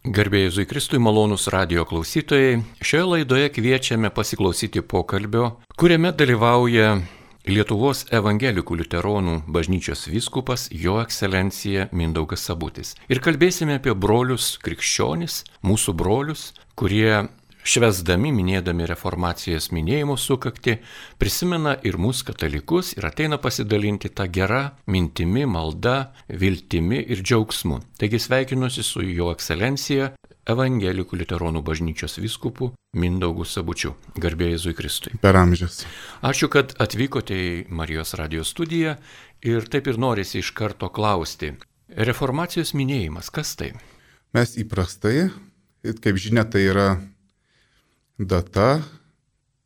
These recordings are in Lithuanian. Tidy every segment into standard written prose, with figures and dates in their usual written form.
Garbė Jėzui Kristui, malonūs radio klausytojai. Šioje laidoje kviečiame pasiklausyti pokalbio, kuriame dalyvauja Lietuvos evangelikų liuteronų bažnyčios vyskupas Jo ekscelencija Mindaugas Sabutis. Ir kalbėsime apie brolius krikščionis, mūsų brolius, kurie švęsdami, minėdami reformacijos minėjimo sukaktį, prisimena ir mūsų katalikus ir ateina pasidalinti tą gerą mintimi, malda, viltimi ir džiaugsmu. Taigi sveikinuosi su Jo ekscelencija evangelikų liuteronų bažnyčios vyskupu Mindaugu Sabučiu. Garbė Jėzui Kristui. Per amžius. Ačiū, kad atvykote į Marijos radio studiją ir taip ir norisi iš karto klausti. Reformacijos minėjimas, kas tai? Mes įprastai, kaip žinia, tai yra data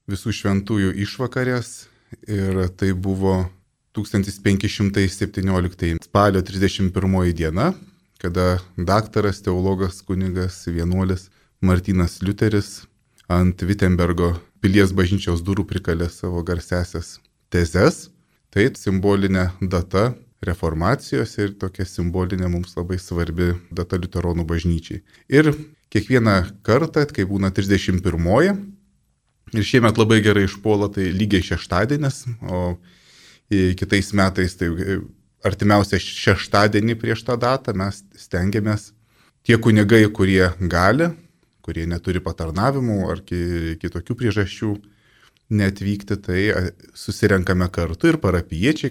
visų šventųjų išvakarės ir tai buvo 1517 spalio 31 diena, kada daktaras, teologas, kunigas, vienuolis Martynas Liuteris ant Vitembergo pilies bažnyčios durų prikalė savo garsiasias tezes. Tai simbolinė data reformacijos ir tokia simbolinė mums labai svarbi data liuteronų bažnyčiai. Ir kiekvieną kartą, kai būna 31, ir šiemet labai gerai išpuola, tai lygiai šeštadienis, o kitais metais tai artimiausią šeštadienį prieš tą datą mes stengiamės tie kunigai, kurie gali, kurie neturi patarnavimų ar kitokių priežasčių neatvykti, tai susirenkame kartu ir parapiečiai,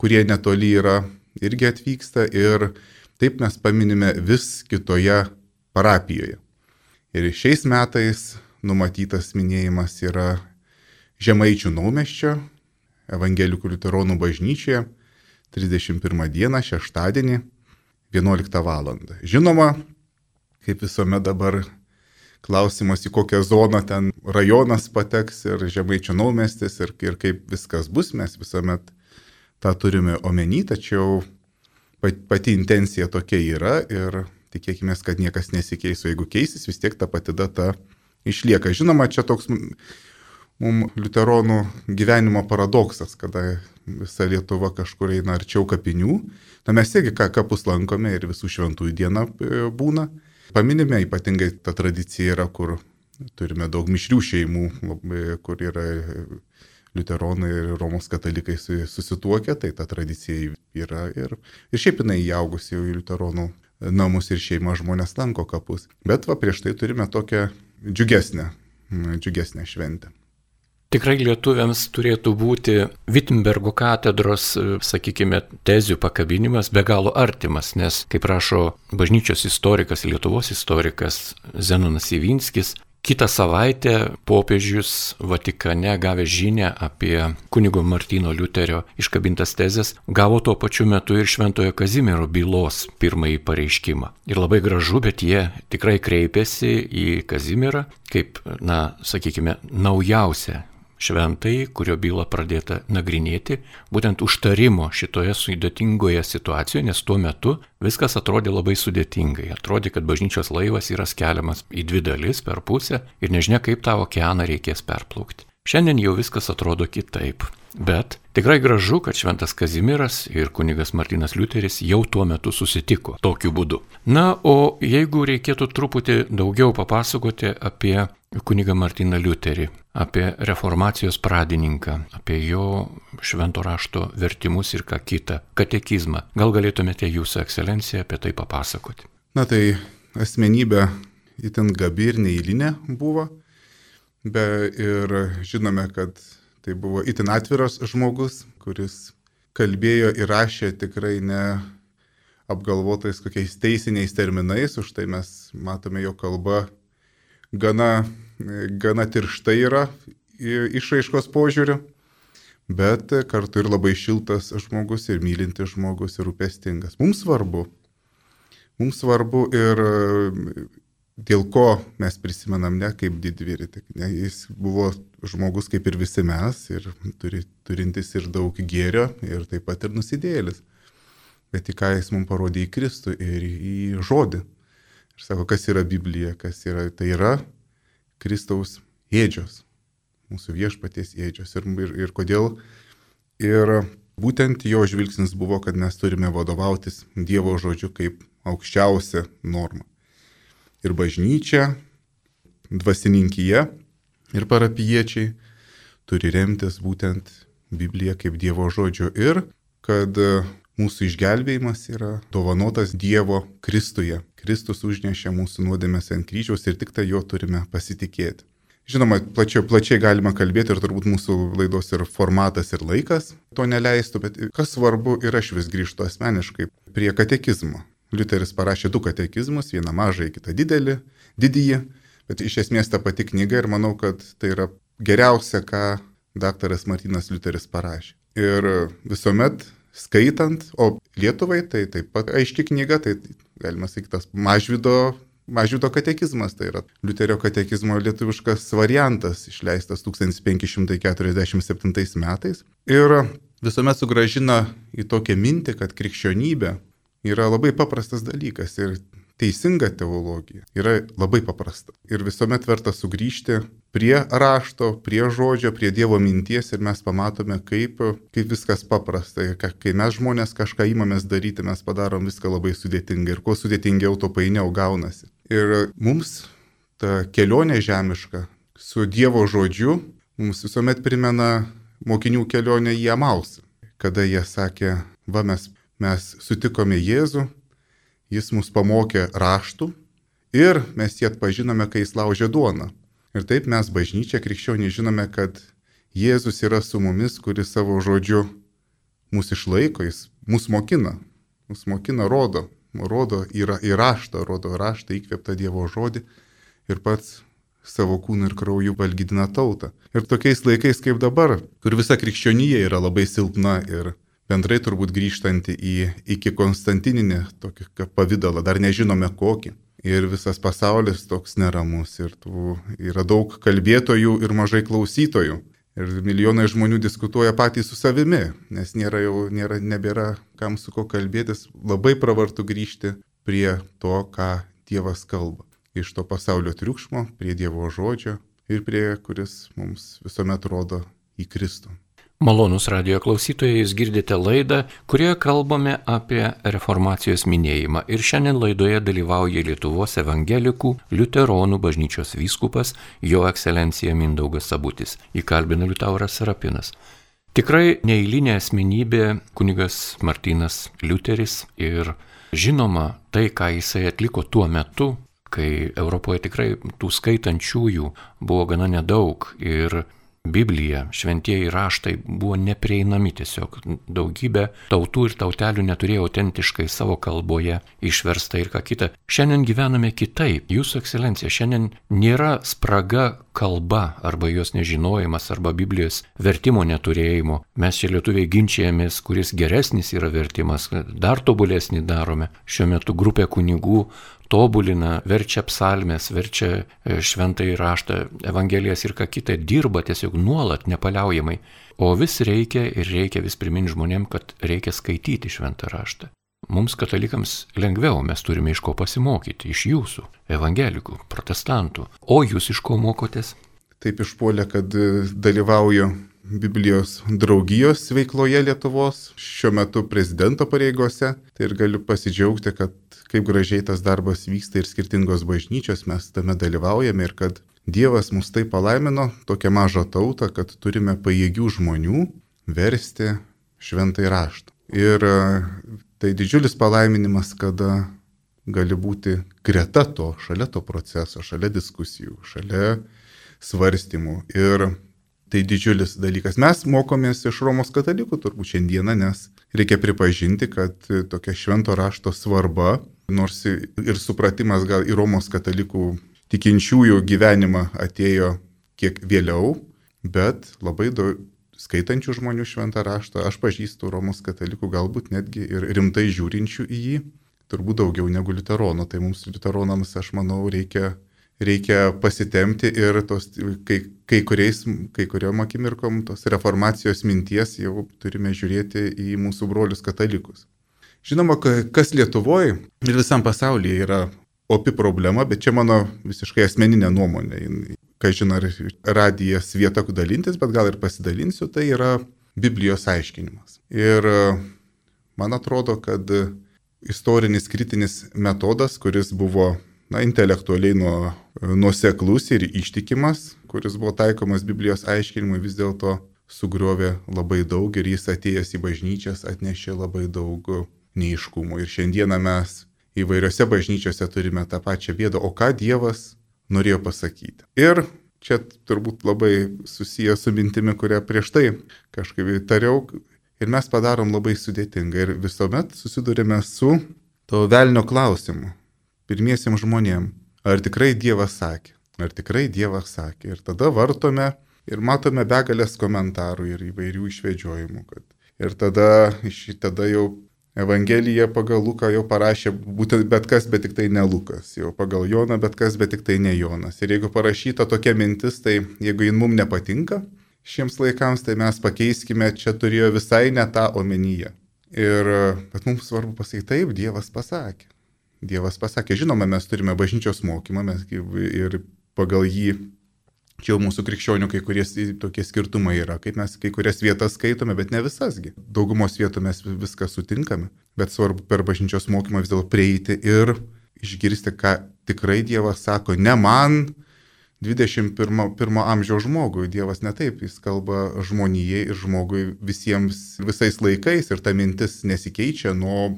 kurie netoli yra, irgi atvyksta ir taip mes paminime vis kitoje parapijoje. Ir šiais metais numatytas minėjimas yra Žemaičių Naumiesčio evangelikų liuteronų bažnyčioje 31 dieną, šeštadienį, 11 val. Žinoma, kaip visuomet dabar klausimas, į kokią zoną ten rajonas pateks ir Žemaičių Naumiestis ir kaip viskas bus, mes visuomet tą turime omeny, tačiau pati intencija tokia yra ir tikėkime, kad niekas nesikeis, o jeigu keisis, vis tiek ta pati data išlieka. Žinoma, čia toks mums liuteronų gyvenimo paradoksas, kada visa Lietuva kažkur eina arčiau kapinių. Na, mes irgi kapus lankome ir visų šventųjų diena būna. Paminime, ypatingai ta tradicija yra, kur turime daug mišrių šeimų, kur yra liuteronai ir Romos katalikai susituokę, tai ta tradicija yra ir šiaip jinai įaugusi jau į liuteronų namus ir šeimą žmonės lanko kapus. Bet prieš tai turime tokią džiugesnę šventę. Tikrai lietuviams turėtų būti Vitembergo katedros, sakykime, tezių pakabinimas be galo artimas, nes, kaip rašo bažnyčios istorikas, Lietuvos istorikas Zenonas Ivinskis, kitą savaitę popiežius Vatikane gavęs žinią apie kunigo Martyno Liuterio iškabintas tezes, gavo tuo pačiu metu ir Šventojo Kazimiero bylos pirmąjį pareiškimą. Ir labai gražu, bet jie tikrai kreipėsi į Kazimierą kaip, sakykime, naujausią šventai, kurio bylą pradėta nagrinėti, būtent užtarimo šitoje sudėtingoje situacijoje, nes tuo metu viskas atrodė labai sudėtingai. Atrodė, kad bažnyčios laivas yra skeliamas į dvi dalis per pusę ir nežinia, kaip tą okeaną reikės perplaukti. Šiandien jau viskas atrodo kitaip, bet tikrai gražu, kad šventas Kazimieras ir kunigas Martynas Liuteris jau tuo metu susitiko tokiu būdu. Na, o jeigu reikėtų truputį daugiau papasakoti apie kunigą Martyną Liuterį, apie reformacijos pradininką, apie jo švento rašto vertimus ir ką kitą, katekizmą, gal galėtumėte jūsų ekscelencija apie tai papasakoti? Na tai asmenybė itin gabi ir neeilinė buvo. Ir žinome, kad tai buvo itin atviras žmogus, kuris kalbėjo ir rašė tikrai ne apgalvotais kokiais teisiniais terminais, už tai mes matome, jo kalba gana tirštai yra išraiškos požiūriu, bet kartu ir labai šiltas žmogus ir mylintis žmogus ir rūpestingas. Mums svarbu ir dėl ko mes prisimenam ne kaip didvyrį, jis buvo žmogus kaip ir visi mes ir turintis ir daug gėrio ir taip pat ir nusidėjėlis. Bet į ką jis mums parodė, į Kristų ir į žodį. Ir sako, kas yra Biblija, tai yra Kristaus ėdžios, mūsų viešpaties ėdžios. Ir kodėl? Ir būtent jo žvilgsnis buvo, kad mes turime vadovautis Dievo žodžiu kaip aukščiausia norma. ir bažnyčia, dvasininkyje ir parapijiečiai turi remtis būtent Bibliją kaip Dievo žodžiu ir kad mūsų išgelbėjimas yra dovanotas Dievo Kristuje. Kristus užnešė mūsų nuodėmes ant kryžiaus ir tik tai jo turime pasitikėti. Žinoma, plačiai galima kalbėti ir turbūt mūsų laidos ir formatas ir laikas to neleistų, bet kas svarbu ir aš vis grįžtu asmeniškai prie katekizmo. Liuteris parašė 2 katekizmus, vieną mažą, kitą didįjį, bet iš esmės ta pati knyga ir manau, kad tai yra geriausia, ką daktaras Martynas Liuteris parašė. Ir visuomet skaitant, o Lietuvai tai taip pat aiški knyga, tai galima sakyti tas Mažvydo katekizmas, tai yra Liuterio katekizmo lietuviškas variantas, išleistas 1547 metais. Ir visuomet sugrąžina į tokią mintį, kad krikščionybė yra labai paprastas dalykas ir teisinga teologija yra labai paprasta. Ir visuomet verta sugrįžti prie rašto, prie žodžio, prie Dievo minties ir mes pamatome, kaip viskas paprasta. Ir kai mes žmonės kažką įmamės daryti, mes padarom viską labai sudėtingai. Ir kuo sudėtingiau, to painiau gaunasi. Ir mums ta kelionė žemiška su Dievo žodžiu mums visuomet primena mokinių kelionę į Emausą, kada jie sakė, va mes sutikome Jėzų, jis mus pamokė raštų ir mes jį atpažinome, kai jis laužė duoną. Ir taip mes bažnyčia krikščioniai žinome, kad Jėzus yra su mumis, kuris savo žodžiu mus išlaiko, jis mus mokina, rodo į raštą, rodo raštą įkvėptą Dievo žodį ir pats savo kūnu ir krauju valgydina tautą. Ir tokiais laikais kaip dabar, kur visa krikščionija yra labai silpna ir bendrai turbūt grįžtanti iki konstantininį tokį pavidalą, dar nežinome kokį. Ir visas pasaulis toks neramus ir yra daug kalbėtojų ir mažai klausytojų. Ir milijonai žmonių diskutuoja patys su savimi, nes nebėra kam su ko kalbėtis. Labai pravartu grįžti prie to, ką Dievas kalba. Iš to pasaulio triukšmo prie Dievo žodžio ir prie kuris mums visuomet rodo į Kristų. Malonūs radijo klausytojai, jūs girdite laidą, kurioje kalbame apie reformacijos minėjimą. Ir šiandien laidoje dalyvauja Lietuvos evangelikų liuteronų bažnyčios vyskupas Jo ekscelencija Mindaugas Sabutis. Įkalbina Liutauras Serapinas. Tikrai neeilinė asmenybė kunigas Martynas Liuteris ir žinoma tai, ką jisai atliko tuo metu, kai Europoje tikrai tų skaitančiųjų buvo gana nedaug ir Biblija, šventieji raštai buvo neprieinami tiesiog. Daugybė tautų ir tautelių neturėjo autentiškai savo kalboje išversta ir ką kita. Šiandien gyvename kitaip. Jūsų ekscelencija, šiandien nėra spraga kalba arba jos nežinojimas arba Biblijos vertimo neturėjimo. Mes čia lietuviai ginčijamės, kuris geresnis yra vertimas, dar tobulesnį darome. Šiuo metu grupė kunigų tobulina, verčia psalmes, verčia šventąjį raštą, evangelijas ir ką kitą, dirba tiesiog nuolat, nepaliaujamai. O vis reikia vis priminti žmonėm, kad reikia skaityti šventą raštą. Mums katalikams lengviau, mes turime iš ko pasimokyti, iš jūsų, evangelikų, protestantų. O jūs iš ko mokotės? Taip išpuolė, kad dalyvauju Biblijos draugijos veikloje Lietuvos, šiuo metu prezidento pareigose. Tai ir galiu pasidžiaugti, kad kaip gražiai tas darbas vyksta ir skirtingos bažnyčios mes tame dalyvaujame ir kad Dievas mus taip palaimino, tokią mažą tautą, kad turime pajėgių žmonių versti šventąjį raštą. Ir tai didžiulis palaiminimas, kada gali būti greta to, šalia to proceso, šalia diskusijų, šalia svarstymų. Ir tai didžiulis dalykas. Mes mokomės iš Romos katalikų turbūt šiandieną, nes reikia pripažinti, kad tokia švento rašto svarba, nors ir supratimas gal į Romos katalikų tikinčiųjų gyvenimą atėjo kiek vėliau, bet labai daug skaitančių žmonių šventą raštą, aš pažįstu Romos katalikų galbūt netgi ir rimtai žiūrinčių į jį, turbūt daugiau negu liuteronų. Tai mums liuteronams, aš manau, reikia pasitemti ir tos, kai kuriom akimirkom tos reformacijos minties jau turime žiūrėti į mūsų brolius katalikus. Žinoma, kas Lietuvoje ir visam pasaulyje yra opi problema, bet čia mano visiškai asmeninė nuomonė. Ką žinau, radijas vieta dalintis, bet gal ir pasidalinsiu, tai yra Biblijos aiškinimas. Ir man atrodo, kad istorinis kritinis metodas, kuris buvo intelektualiai nuoseklus ir ištikimas, kuris buvo taikomas Biblijos aiškinimui, vis dėlto sugriovė labai daug ir jis atėjęs į bažnyčias atnešė labai daug neaiškumų. Ir šiandieną mes įvairiose bažnyčiose turime tą pačią bėdą, o ką Dievas norėjo pasakyti. Ir čia turbūt labai susijęs su mintimi, kurią prieš tai kažkaip tariau, ir mes padarom labai sudėtingą ir visuomet susidurime su to velnio klausimu pirmiesiems žmonėms, ar tikrai Dievas sakė, ar tikrai Dievas sakė. Ir tada vartome ir matome begalės komentarų ir įvairių išvedžiojimų. Ir tada jau Evangelija pagal Luką jau parašė būtent bet kas, bet tik tai ne Lukas. Jau pagal Joną bet kas, bet tik tai ne Jonas. Ir jeigu parašyta tokia mintis, tai jeigu jin mums nepatinka šiems laikams, tai mes pakeiskime, čia turėjo visai ne tą omenyje. Bet mums svarbu pasakyti, taip, Dievas pasakė. Dievas pasakė, žinoma, mes turime bažnyčios mokymą ir pagal jį, čia jau mūsų krikščionių kai kurie tokie skirtumai yra, kaip mes kai kurias vietas skaitome, bet ne visasgi. Daugumos vietų mes viską sutinkame, bet svarbu per bažnyčios mokymą vis dėlto prieiti ir išgirsti, ką tikrai Dievas sako, ne man 21 amžiaus žmogui. Dievas ne taip, jis kalba žmonijai ir žmogui visais laikais ir ta mintis nesikeičia nuo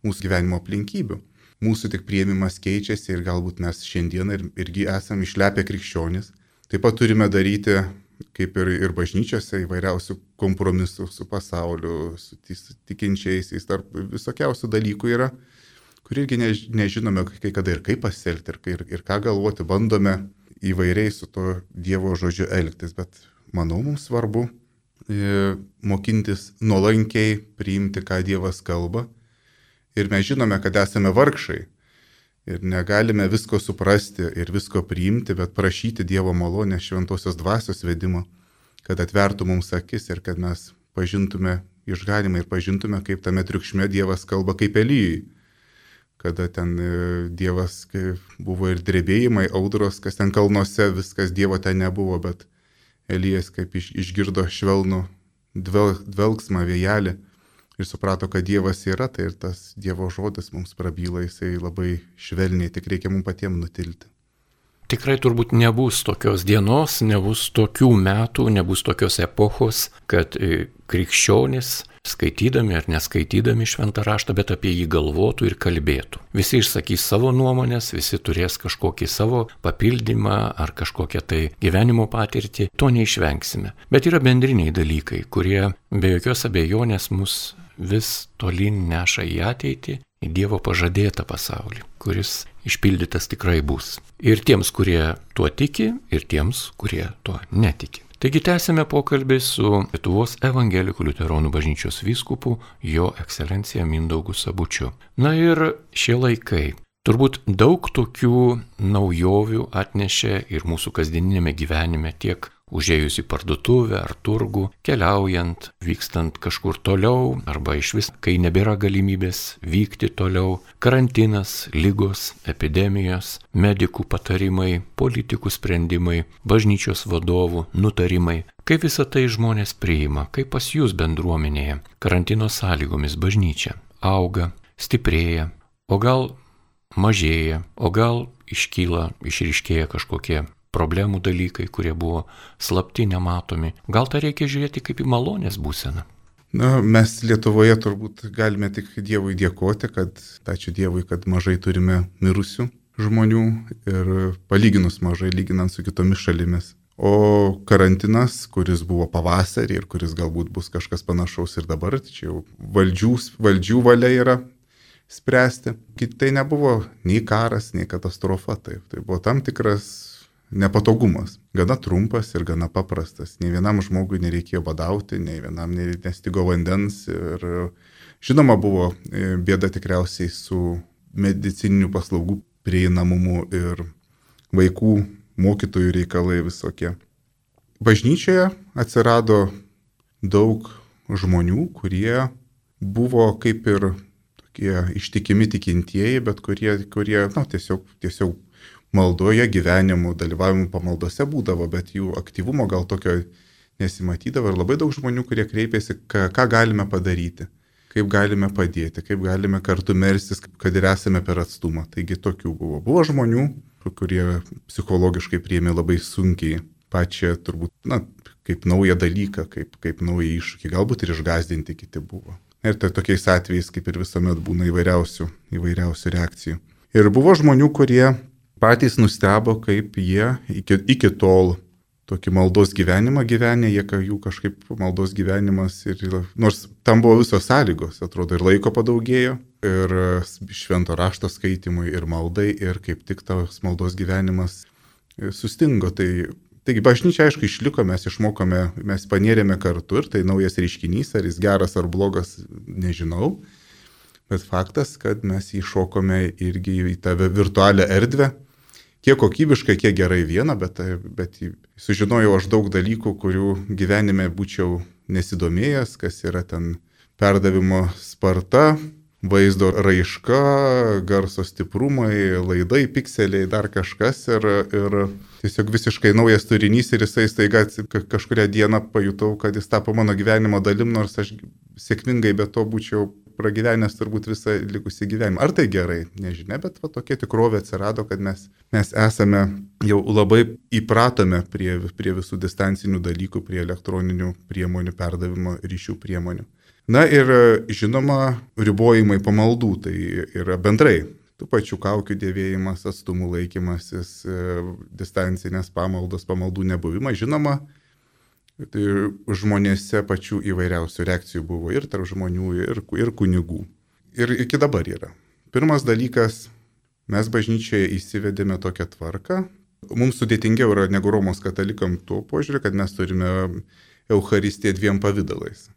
mūsų gyvenimo aplinkybių. Mūsų tik priėmimas keičiasi ir galbūt mes šiandien irgi esame išlepę krikščionys. Taip pat turime daryti, kaip ir bažnyčiose, įvairiausių kompromisų su pasauliu, su tikinčiaisiais, tarp visokiausių dalykų yra, kur irgi nežinome kai kada ir kaip pasielgti, ir ką galvoti, bandome įvairiai su to Dievo žodžiu elgtis, bet manau, mums svarbu mokintis nuolankiai priimti, ką Dievas kalba. Ir mes žinome, kad esame vargšai ir negalime visko suprasti ir visko priimti, bet prašyti Dievo malonės šventosios dvasios vedimo, kad atvertų mums akis ir kad mes pažintume išganimą ir pažintume, kaip tame triukšme Dievas kalba kaip Elijui. Kada ten Dievas buvo ir drebėjimai, audros, kas ten kalnuose, viskas Dievo ten nebuvo, bet Elijas kaip išgirdo švelnų dvelgsmą vėjelį. Ir suprato, kad Dievas yra, tai ir tas Dievo žodis mums prabyla, jisai labai švelniai, tik reikia mums patiems nutilti. Tikrai turbūt nebus tokios dienos, nebus tokių metų, nebus tokios epochos, kad krikščionys, skaitydami ar neskaitydami šventą raštą, bet apie jį galvotų ir kalbėtų. Visi išsakys savo nuomonės, visi turės kažkokį savo papildymą ar kažkokią tai gyvenimo patirtį, to neišvengsime. Bet yra bendriniai dalykai, kurie be jokios abejonės mus vis tolyn neša į ateitį, į Dievo pažadėtą pasaulį, kuris išpildytas tikrai bus. Ir tiems, kurie tuo tiki, ir tiems, kurie tuo netiki. Taigi tęsime pokalbį su Lietuvos evangelikų liuteronų bažnyčios vyskupu, jo ekscelencija Mindaugu Sabučiu. Na ir šie laikai. Turbūt daug tokių naujovių atnešė ir mūsų kasdieninėme gyvenime, tiek užėjus į parduotuvę ar turgų, keliaujant, vykstant kažkur toliau, arba išvis, kai nebėra galimybės vykti toliau, karantinas, ligos, epidemijos, medikų patarimai, politikų sprendimai, bažnyčios vadovų nutarimai. Kaip visą tai žmonės priima, kaip pas jūs bendruomenėje, karantino sąlygomis bažnyčia auga, stiprėja, o gal mažėja, o gal išryškėja kažkokie problemų dalykai, kurie buvo slapti, nematomi. Gal tą reikia žiūrėti kaip į malonės būseną? Mes Lietuvoje turbūt galime tik Dievui dėkoti, ačiū Dievui, kad mažai turime mirusių žmonių ir palyginus mažai, lyginant su kitomis šalimis. O karantinas, kuris buvo pavasarį ir kuris galbūt bus kažkas panašaus ir dabar, čia jau valdžių valia yra spręsti. Tai nebuvo nei karas, nei katastrofa, tai buvo tam tikras nepatogumas. Gana trumpas ir gana paprastas. Nei vienam žmogui nereikėjo badauti, nei vienam nestigo vandens. Ir žinoma, buvo bėda tikriausiai su medicininių paslaugų prieinamumu ir vaikų, mokytojų reikalai visokie. Bažnyčioje atsirado daug žmonių, kurie buvo kaip ir tokie ištikimi tikintieji, bet kurie tiesiog maldoje, gyvenimu, dalyvavimu pamaldose būdavo, bet jų aktyvumo gal tokio nesimatydavo. Ir labai daug žmonių, kurie kreipėsi, ką galime padaryti, kaip galime padėti, kaip galime kartu melstis, kad ir esame per atstumą. Taigi tokių buvo. Buvo žmonių, kurie psichologiškai priėmė labai sunkiai pačią turbūt, kaip naują dalyką, kaip naują iššūkį, galbūt ir išgąsdinti kiti buvo. Ir tai tokiais atvejais, kaip ir visuomet, būna įvairiausių reakcijų. Ir buvo žmonių, kurie patys nustebo, kaip jie iki tol tokį maldos gyvenimą gyvenė, jų kažkaip maldos gyvenimas nors tam buvo visos sąlygos, atrodo, ir laiko padaugėjo, ir švento rašto skaitimui, ir maldai, ir kaip tik tas maldos gyvenimas sustingo. Taigi bažnyčia, aišku, išliko, mes išmokome, mes panėrėme kartu ir tai naujas reiškinys, ar jis geras ar blogas, nežinau, bet faktas, kad mes įšokome irgi į tą virtualią erdvę. Kiek kokybiškai, kiek gerai viena, bet sužinojau aš daug dalykų, kurių gyvenime būčiau nesidomėjęs, kas yra ten perdavimo sparta, vaizdo raiška, garso stiprumai, laidai, pikseliai, dar kažkas ir tiesiog visiškai naujas turinys ir jisai staiga kažkurią dieną pajutau, kad jis tapo mano gyvenimo dalim, nors aš sėkmingai be to būčiau pragyvenęs turbūt visą likusį gyvenimą. Ar tai gerai? Nežinia, bet tokia tikrovė atsirado, kad mes esame jau labai įpratome prie visų distancinių dalykų, prie elektroninių priemonių, perdavimo ryšių priemonių. Na ir žinoma, ribojimai pamaldų, tai yra bendrai tų pačių kaukių dėvėjimas, atstumų laikymasis, distancinės pamaldos, pamaldų nebuvimas, žinoma, tai žmonėse pačių įvairiausių reakcijų buvo ir tarp žmonių, ir kunigų. Ir iki dabar yra. Pirmas dalykas, mes bažnyčioje įsivedėme tokią tvarką. Mums sudėtingiau yra negu Romos katalikam tuo požiūriu, kad mes turime Eucharistiją dviem pavydalais.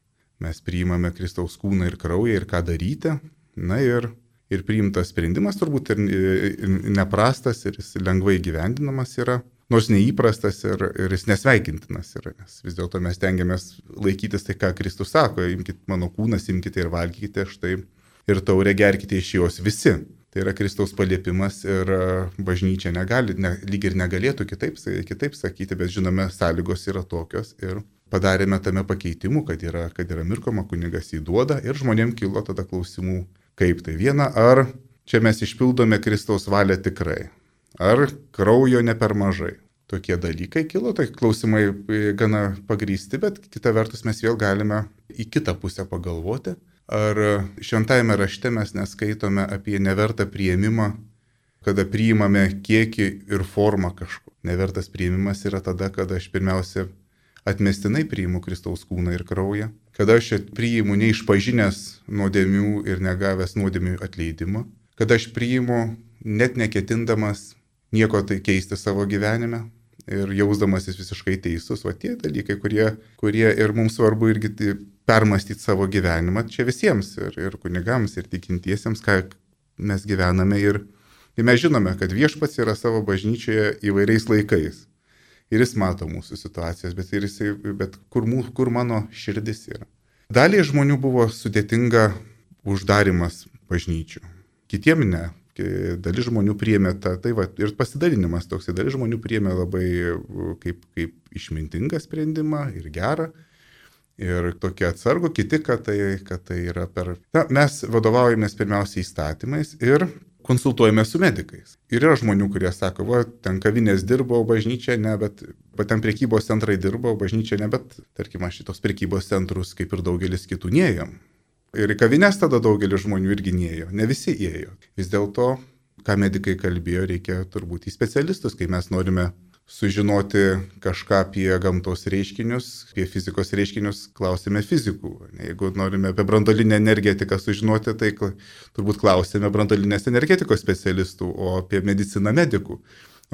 Mes priimame Kristaus kūną ir kraują ir ką daryti. Na ir priimtas sprendimas turbūt ir neprastas ir jis lengvai gyvendinamas yra. Nors neįprastas ir jis nesveikintinas yra, nes vis dėlto mes tengiamės laikytis tai, ką Kristus sako, imkite mano kūnas, imkite ir valgykite štai ir taurę gerkite iš jos visi. Tai yra Kristaus paliepimas ir bažnyčia lyg ir negalėtų kitaip sakyti, bet žinome, sąlygos yra tokios ir padarėme tame pakeitimų, kad yra mirkoma, kunigas įduoda ir žmonėm kilo tada klausimų, kaip tai viena, ar čia mes išpildome Kristaus valią tikrai. Ar kraujo ne per mažai. Tokie dalykai kilo, tai klausimai gana pagrįsti, bet kita vertus mes vėl galime į kitą pusę pagalvoti. Ar šventajame rašte mes neskaitome apie nevertą priėmimą, kada priimame kiekį ir formą kažko. Nevertas priėmimas yra tada, kada aš pirmiausia atmestinai priimu Kristaus kūną ir kraują, kada aš priimu neišpažinęs nuodėmių ir negavęs nuodėmių atleidimo, kada aš priimu net neketindamas nieko tai keisti savo gyvenime ir jausdamasis visiškai teisus. O tie dalykai, kurie ir mums svarbu irgi permastyti savo gyvenimą, čia visiems, ir kunigams, ir tikintiesiems, ką mes gyvename. Ir mes žinome, kad viešpats yra savo bažnyčioje įvairiais laikais. Ir jis mato mūsų situacijas, bet kur mano širdis yra. Daliai žmonių buvo sudėtinga uždarimas bažnyčių, kitiem ne. Dalis žmonių priėmė ir pasidalinimas toks, dalis žmonių priėmė labai kaip išmintingą sprendimą ir gerą, ir tokie atsargų, kiti, kad tai yra mes vadovaujamės pirmiausiai įstatymais ir konsultuojame su medikais. Ir yra žmonių, kurie sako, ten kavinės dirbo, bažnyčia ne, bet ten prekybos centrai dirbo, bažnyčia ne, bet tarkim, aš šitos prekybos centrus kaip ir daugelis kitų neėjom. Ir į kavinės tada daugelis žmonių irgi neėjo, ne visi ėjo. Vis dėlto, ką medikai kalbėjo, reikia turbūt į specialistus, kai mes norime sužinoti kažką apie gamtos reiškinius, apie fizikos reiškinius, klausime fizikų. Jeigu norime apie branduolinę energetiką sužinoti, tai turbūt klausime branduolinės energetikos specialistų, o apie mediciną medikų.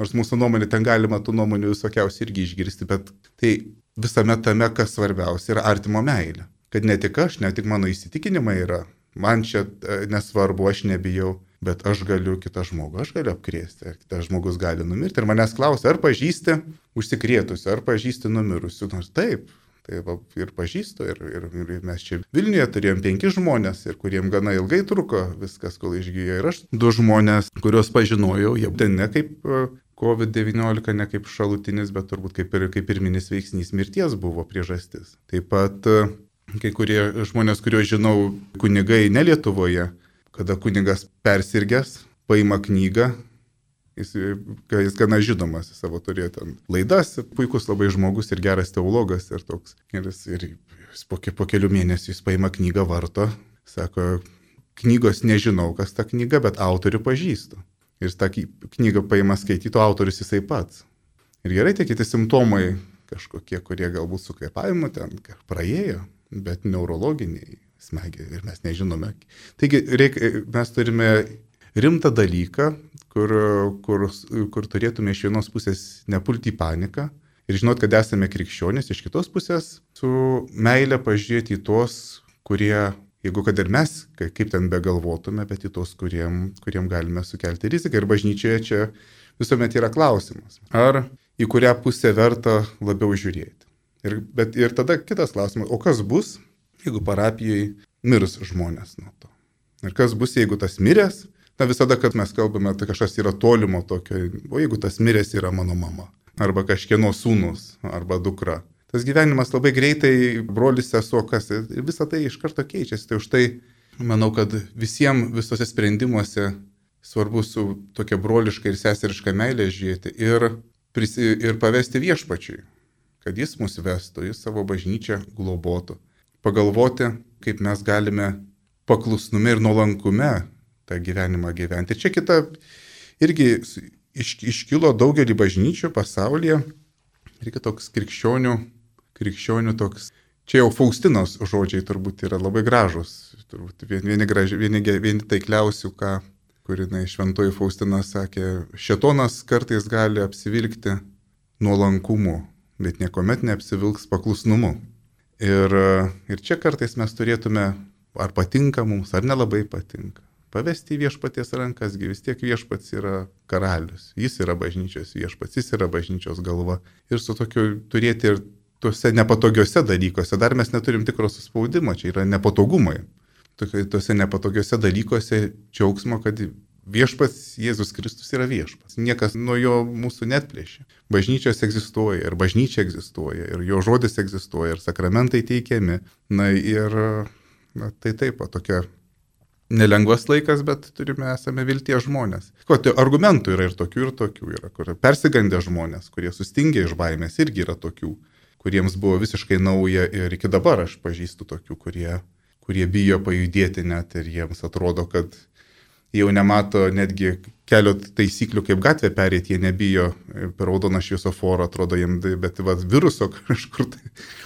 Nors mūsų nuomonė, ten galima tų nuomonių visokiausiai irgi išgirsti, bet tai visame tame, kas svarbiausia, yra artimo meilė. Kad ne tik aš, ne tik mano įsitikinimai yra, man čia nesvarbu, aš nebijau, bet aš galiu kitą žmogų, aš galiu apkrėsti, kitas žmogus gali numirti. Ir manęs klausia, ar pažįsti užsikrėtusių, ar pažįsti numirusių. Nors taip, ir pažįstu, ir mes čia Vilniuje turėjom 5 žmonės, ir kuriem gana ilgai truko viskas, kol išgijo. Ir aš 2 žmonės, kuriuos pažinojau, jie ten ne kaip COVID-19, ne kaip šalutinis, bet turbūt kaip pirminis veiksnys mirties buvo priežastis. Taip pat kai kurie žmonės, kuriuos žinau, kunigai ne Lietuvoje, kada kunigas persirgęs, paima knygą, jis gana žinomas, savo turėjo ten laidas, puikus labai žmogus ir geras teologas ir toks. Ir jis po kelių mėnesių jis paima knygą, varto, sako, knygos nežinau, kas ta knyga, bet autorių pažįstu. Ir jis tą knygą paima skaityti, o autorius jisai pats. Ir gerai, tie kiti simptomai kažkokie, kurie galbūt su kvėpavimu ten praėjo, bet neurologiniai smegiai ir mes nežinome. Taigi mes turime rimtą dalyką, kur turėtume iš vienos pusės nepulti į paniką ir žinot, kad esame krikščionys, iš kitos pusės su meile pažiūrėti į tos, kurie, jeigu kad ir mes, kaip ten begalvotume, bet į tos, kuriem galime sukelti riziką. Ir bažnyčioje čia visuomet yra klausimas, ar į kurią pusę verta labiau žiūrėti. Ir tada kitas klausimas, o kas bus, jeigu parapijoje mirs žmonės nuo to? Ir kas bus, jeigu tas miręs? Na visada, kad mes kalbame, tai kažkas yra tolimo tokio, o jeigu tas miręs yra mano mama, arba kažkieno sūnus, arba dukra. Tas gyvenimas labai greitai, brolis, sesuo, kas, ir visą tai iš karto keičiasi. Tai už tai manau, kad visiems visose sprendimuose svarbu su tokia broliška ir seseriška meilė žiūrėti ir pavesti viešpačiui, kad jis mus vestų, jis savo bažnyčią globotų. Pagalvoti, kaip mes galime paklusnume ir nuolankume tą gyvenimą gyventi. Čia kita irgi iškilo daugelį bažnyčių pasaulyje. Reikia toks krikščionių toks. Čia jau Faustinos žodžiai turbūt yra labai gražus. Turbūt vieni taikliausių, kur šventoji Faustina sakė, šėtonas kartais gali apsivilkti nuolankumu, bet niekuomet neapsivilks paklusnumu. Ir čia kartais mes turėtume, ar patinka mums, ar nelabai patinka, pavesti į viešpaties rankas, vis tiek viešpats yra karalius, jis yra bažnyčios viešpats, jis yra bažnyčios galva. Ir su tokiu turėti ir tuose nepatogiuose dalykuose, dar mes neturim tikro suspaudimo, čia yra nepatogumai. Tuose nepatogiuose dalykuose džiaugsmo, kad viešpats Jėzus Kristus yra viešpats. Niekas nuo jo mūsų netplėšia. Bažnyčios egzistuoja ir bažnyčia egzistuoja ir jo žodis egzistuoja ir sakramentai teikiami. Tai taip, tokia nelengvas laikas, bet esame vilties žmonės. Tai argumentų yra ir tokių yra, kur persigandę žmonės, kurie sustingė iš baimės, irgi yra tokių, kuriems buvo visiškai nauja ir iki dabar aš pažįstu tokių, kurie bijo pajudėti net ir jiems atrodo, kad jau nemato netgi kelio taisyklių, kaip gatvę perėti, jie nebijo per raudoną šviesoforą, atrodo jiems, bet viruso kažkur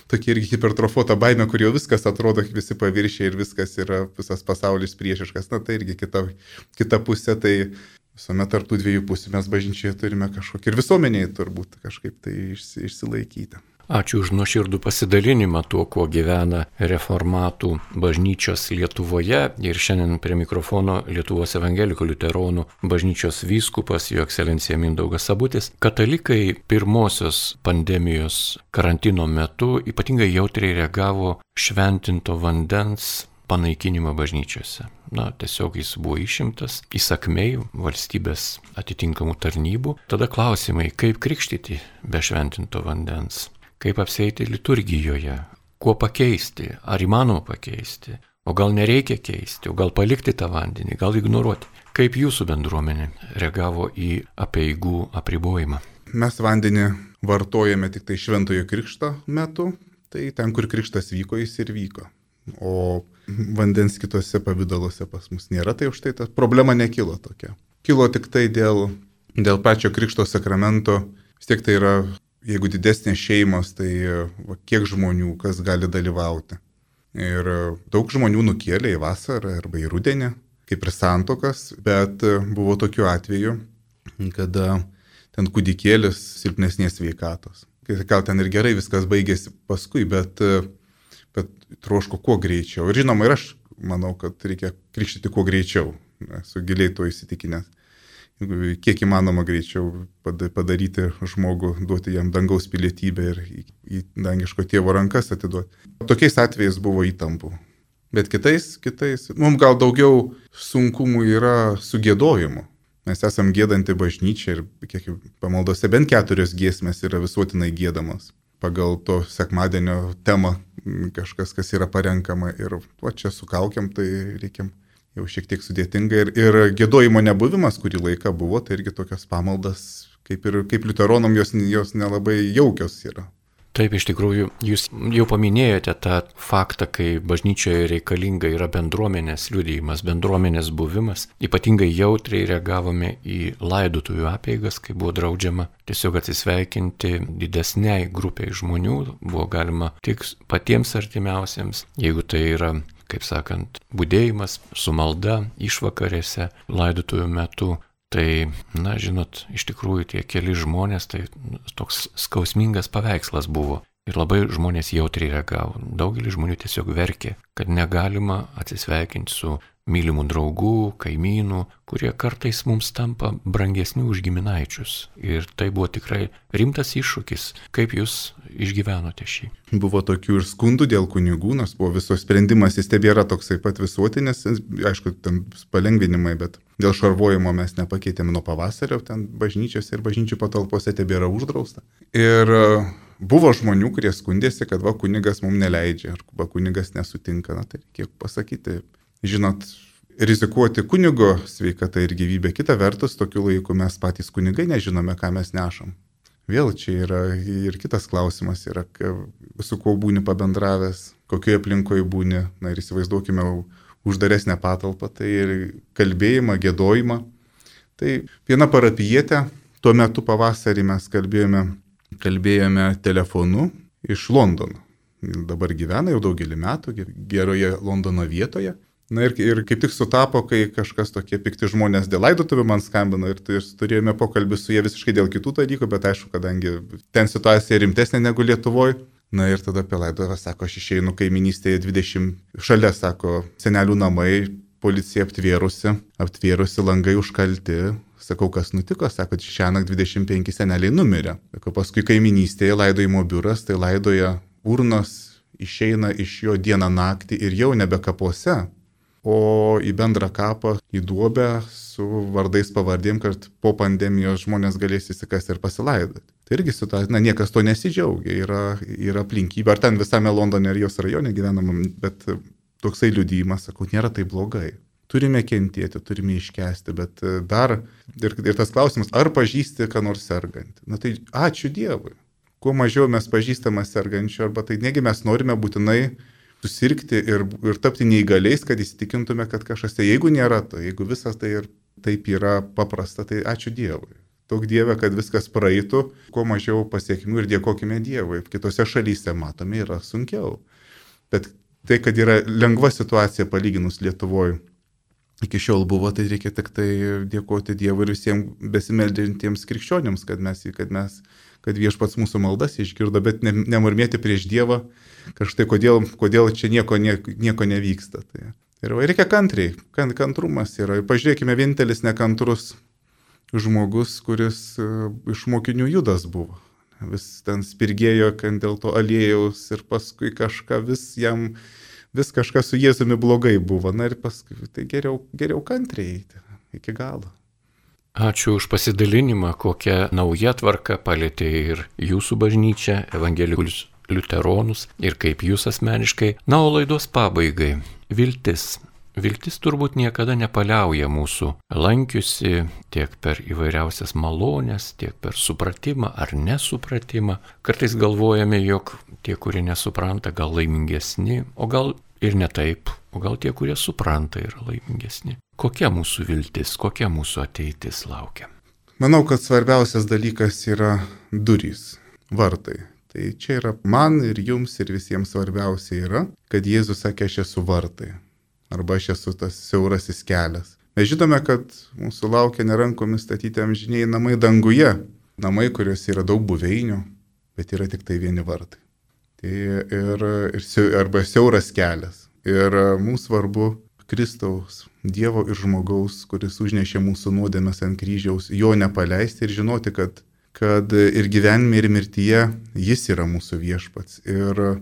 tokia irgi hipertrofuota baimė, kur jau viskas atrodo, visi paviršiai ir visas pasaulis priešiškas. Tai irgi kita pusė, tai visuomet tarp tų dviejų pusių mes bažnyčioje turime kažkokį ir visuomeniai turbūt kažkaip tai išsilaikyti. Ačiū už nuoširdų pasidalinimą tuo, kuo gyvena reformatų bažnyčios Lietuvoje. Ir šiandien prie mikrofono Lietuvos evangelikų liuteronų bažnyčios vyskupas, jo ekscelencija Mindaugas Sabutis. Katalikai pirmosios pandemijos karantino metu ypatingai jautriai reagavo šventinto vandens panaikinimą bažnyčiose. Tiesiog jis buvo išimtas įsakmiai valstybės atitinkamų tarnybų. Tada klausimai, kaip krikštyti be šventinto vandens? Kaip apsieiti liturgijoje, kuo pakeisti, ar įmanoma pakeisti, o gal nereikia keisti, o gal palikti tą vandenį, gal ignoruoti. Kaip jūsų bendruomenė reagavo į apeigų apribojimą? Mes vandenį vartojame tik tai šventojo krikšto metu, tai ten, kur krikštas vyko, jis ir vyko. O vandens kitose pavidaluose pas mus nėra, tai už tai ta problema nekilo tokia. Kilo tik tai dėl pačio krikšto sakramento, vis tiek tai yra. Jeigu didesnės šeimos, tai kiek žmonių, kas gali dalyvauti. Ir daug žmonių nukėlė į vasarą arba į rudenį, kaip ir santuokas, bet buvo tokių atvejų, kada ten kūdikėlis silpnesnės sveikatos. Gal ten ir gerai viskas baigėsi paskui, bet troško kuo greičiau. Ir žinoma, ir aš manau, kad reikia krikštyti kuo greičiau, esu giliai to įsitikinęs. Kiek įmanoma greičiau padaryti žmogų, duoti jam dangaus pilietybę ir į dangiško tėvo rankas atiduoti. Tokiais atvejais buvo įtampų. Bet kitais, mums gal daugiau sunkumų yra su giedojimu. Mes esam giedanti bažnyčia ir kiek pamaldose bent 4 giesmės yra visuotinai giedamos pagal to sekmadienio temą kažkas, kas yra parenkama. Ir čia su kaukiam, tai reikia jau šiek tiek sudėtinga. Ir giedojimo nebuvimas, kurį laiką buvo, tai irgi tokios pamaldas, kaip liuteronam jos nelabai jaukios yra. Taip, iš tikrųjų, jūs jau paminėjote tą faktą, kai bažnyčioje reikalinga yra bendruomenės liudijimas, bendruomenės buvimas. Ypatingai jautriai reagavome į laidotuvių apeigas, kai buvo draudžiama tiesiog atsisveikinti didesniai grupiai žmonių, buvo galima tik patiems artimiausiems, jeigu tai yra, kaip sakant, budėjimas su malda išvakarėse laidotuvių metu. Tai, žinot, iš tikrųjų tie keli žmonės, tai toks skausmingas paveikslas buvo. Ir labai žmonės jautriai reagavo. Daugelis žmonių tiesiog verkė, kad negalima atsisveikinti su mylimų draugų, kaimynų, kurie kartais mums tampa brangesni už giminaičius. Ir tai buvo tikrai rimtas iššūkis. Kaip jūs išgyvenote šį? Buvo tokių ir skundų dėl kunigų, nors buvo viso sprendimas, jis tebėra toksai pat visuotinis, aišku, ten palengvinimai, bet dėl šarvojimo mes nepakeitėme nuo pavasario, ten bažnyčiose ir bažnyčių patalpose tebėra uždrausta. Ir buvo žmonių, kurie skundėsi, kad kunigas mums neleidžia, arba kunigas nesutinka, tai reikia pasakyti. Žinot, rizikuoti kunigo sveikatą ir gyvybę. Kita vertus, tokiu laiku mes patys kunigai nežinome, ką mes nešam. Vėl čia yra ir kitas klausimas, yra, su kuo būni pabendravęs, kokioje aplinkoje būni. Ir įsivaizduokime uždaresnę patalpą, tai ir kalbėjimą, giedojimą. Tai viena parapijietė, tuo metu pavasarį mes kalbėjome telefonu iš Londono. Dabar gyvena jau daugelį metų geroje Londono vietoje. Ir kaip tik sutapo, kai kažkas tokie pikti žmonės dėl laidotuvių man skambino ir turėjome pokalbį su jie visiškai dėl kitų dalykų, bet aišku, kadangi ten situacija rimtesnė negu Lietuvoje. Ir tada apie laidotuvę sako, aš išeinu kaiminystėje 20 šalia, sako, senelių namai, policija aptvėrusi, langai užkalti. Sakau, kas nutiko, sako, šiąnakt 25 seneliai numirė. Sako, paskui kaiminystėje laidojimo biuras, tai laidoja urnos, išeina iš jo dieną naktį ir jau nebe kapuose, o į bendrą kapą, į duobę su vardais pavardėm, kad po pandemijos žmonės galės įsikasti ir pasilaidoti. Tai irgi situacija, niekas to nesidžiaugia, yra aplinkybė, ar ten visame Londone ir jos rajone gyvenamam, bet toksai liudijimas, sakau, nėra tai blogai. Turime kentėti, turime iškęsti, bet dar ir tas klausimas, ar pažįsti, ką nors sergantį. Tai ačiū Dievui. Kuo mažiau mes pažįstame sergančių, arba tai negi mes norime būtinai susirgti ir tapti neįgaliais, kad įsitikintume, kad kažkas tai, jeigu nėra to, jeigu visas tai ir taip yra paprasta, tai ačiū Dievui. Daug Dieve, kad viskas praeitų, kuo mažiau pasiekmių ir dėkokime Dievui. Kitose šalyse matome yra sunkiau. Bet tai, kad yra lengva situacija palyginus Lietuvoje, iki šiol buvo, tai reikia tik tai dėkoti Dievui ir visiems besimeldžiantiems krikščionims, kad viešpats mūsų maldas išgirdo, bet nemurmėti prieš Dievą, kažtai kodėl čia nieko nevyksta. Tai reikia kantriai, kantrumas yra. Pažiūrėkime, vienintelis nekantrus žmogus, kuris iš mokinių Judas buvo. Vis ten spirgėjo dėl to aliejaus ir paskui vis kažkas su Jėzumi blogai buvo. Ir paskui tai geriau kantriai eiti iki galo. Ačiū už pasidalinimą, kokią naują tvarką palėtė ir jūsų bažnyčia, evangelikus liuteronus ir kaip jūs asmeniškai. O laidos pabaigai. Viltis. Viltis turbūt niekada nepaliauja mūsų lankiusi tiek per įvairiausias malonės, tiek per supratimą ar nesupratimą. Kartais galvojame, jog tie, kurie nesupranta, gal laimingesni, o gal ir ne taip, o gal tie, kurie supranta, yra laimingesni. Kokia mūsų viltis, kokia mūsų ateitis laukia? Manau, kad svarbiausias dalykas yra durys, vartai. Tai čia yra man ir jums ir visiems svarbiausia yra, kad Jėzus sakė, aš esu vartai. Arba aš esu tas siaurasis kelias. Mes žinome, kad mūsų laukia nerankomis statyti amžiniai namai danguje. Namai, kuriuose yra daug buveinių, bet yra tik tai vieni vartai. Arba siauras kelias. Ir mums svarbu Kristaus, Dievo ir žmogaus, kuris užnešė mūsų nuodėmes ant kryžiaus, jo nepaleisti ir žinoti, kad ir gyvenime, ir mirtyje jis yra mūsų viešpats. Ir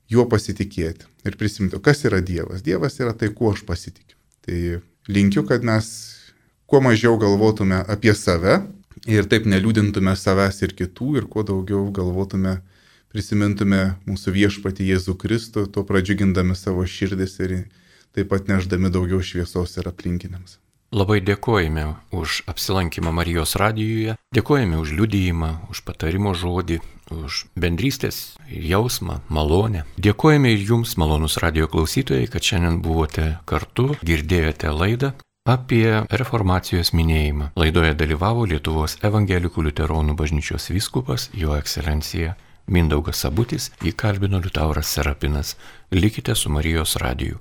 juo pasitikėti. Ir prisiminti, kas yra Dievas. Dievas yra tai, kuo aš pasitikiu. Tai linkiu, kad mes kuo mažiau galvotume apie save ir taip neliūdintume savęs ir kitų ir kuo daugiau galvotume prisimintume mūsų viešpatį Jėzų Kristų, tuo pradžiugindami savo širdis ir taip pat nešdami daugiau šviesos ir aplinkiniams. Labai dėkojame už apsilankymą Marijos radijuje, dėkojame už liudijimą, už patarimo žodį, už bendrystės jausmą, malonę. Dėkojame ir jums, malonūs radijo klausytojai, kad šiandien buvote kartu, girdėjote laidą apie reformacijos minėjimą. Laidoje dalyvavo Lietuvos evangelikų liuteronų bažnyčios vyskupas, jo ekscelencija Mindaugas Sabutis, jį kalbino Liutauras Serapinas. Likite su Marijos radiju.